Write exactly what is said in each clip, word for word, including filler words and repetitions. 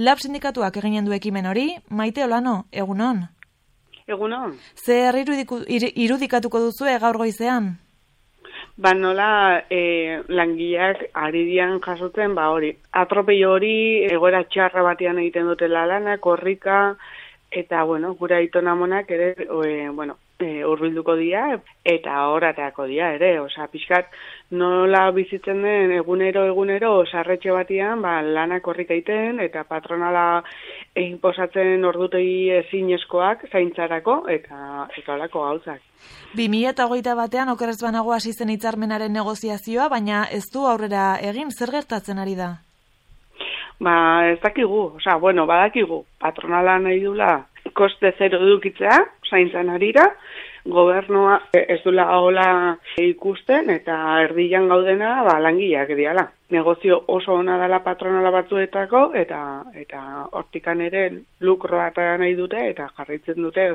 Lab sindikatuak eginen du ekimen hori, Maite Olano, egunon? Egunon. Zer irudikatuko duzu gaur goizean? Ba nola e, langileak ari dian jasotzen, ba hori, atropello hori egoera txarra batean egiten dutela lana, korrika, eta bueno, gure aitona amonak ere, e, bueno, e, hurbilduko dira, eta horatako dira ere, osea, pixkat nola bizitzen den egunero egunero sarretxe batean, ba lana korrika egiten, eta patronala inposatzen ordutegi ezinezkoak zaintzarako, eta eta holako gauzak. bi mila hogeita batean okerrez banago hasi zen hitzarmenaren negoziazioa, baina ez du aurrera egin, zer gertatzen ari da? Ba, ez dakigu, osea, bueno, badakigu, patronala nahi dula koste zero edukitzea, zaintzan arira, gobernua ez dula hola ikusten, eta erdian gaudena, ba, langileak diala. Negozio oso ona dela patronala batzuetako, eta eta hortikan ere lukroa eta nahi dute, eta jarraitzen dute,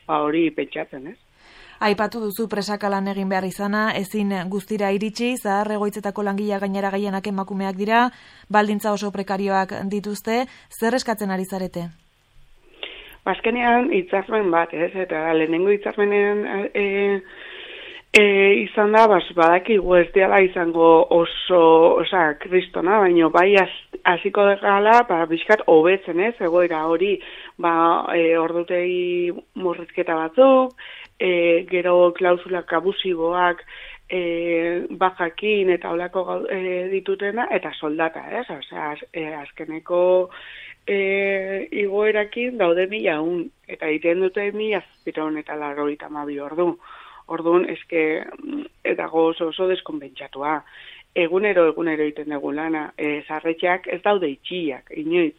ba, hori pentsatzen, ez? Aipatu duzu presaka lan egin behar izana, ezin guztira iritsi, zahar egoitzetako langilea gainera gehienak emakumeak dira, baldintza oso prekarioak dituzte, zer eskatzen ari zarete? Azkenean hitzarmen bat, ez, eta lehenengo hitzarmenen e, e, izan da, bas, badakigu ez diala izango oso, osea, kristona, baino bai hasiko degala, ba, bizkat hobetzen, ez, egoera hori, ba, e, ordutegi murrizketa batzuk, E, gero klausulak abusiboak e, bajakin eta olako e, ditutena, eta soldata, ez? Osea, az, e, azkeneko e, igoerakin daude mila un, eta egiten dute mila zazpiron eta larrogeita hamabi ordu. Orduan, eske, eta oso oso deskonbentsatua. Egunero, egunero egiten dugu lana, e, zarretxeak ez daude itxiak, inoiz.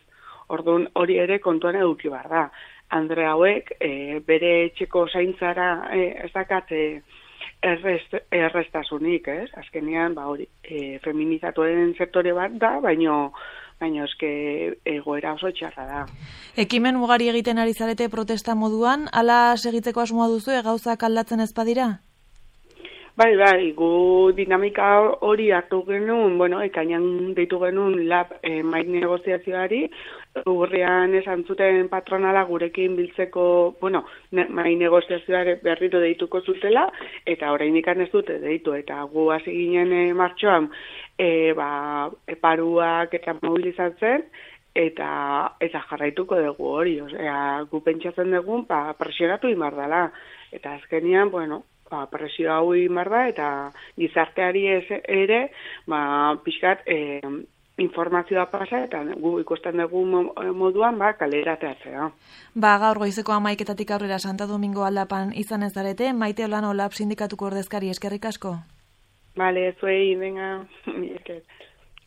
Orduan, hori ere kontuan eduki behar da. Andre hauek e, bere etxeko zaintzara e, ez dakat e, errest, errestasunik, ez? Azkenean, ba hori, e, feminizatuen sektore bat da, baino, baino eske egoera oso txarra da. Ekimen ugari egiten ari zarete protesta moduan, ala segitzeko asmoa duzu, gauzak aldatzen ez badira? Bai, bai, gu dinamika hori hartu genuen, bueno, ekainan deitu genuen lab e, mai negoziazioari, urrian esan zuten patronala gurekin biltzeko, bueno, ne, mai negoziazioare berriro deituko zutela, eta oraindik ez dute deitu, eta gu hasi ginen e, martxoan, e, ba, paruak eta mobilizatzen, eta eta jarraituko dugu hori, osea, gu pentsatzen dugu, ba, presionatu imar dela, eta azkenean, bueno, ba, presio hau imar da, eta gizarteari ere, ba, pixkat, e, informazioa pasa, eta gu ikusten dugu moduan, ba, kalera teatzea. Ba, gaur goizeko hamaiketatik aurrera Santa Domingo aldapan izan ez zarete, Maite Olano Lab sindikatuko ordezkari, eskerrik asko? Bale, zuei, venga, esker.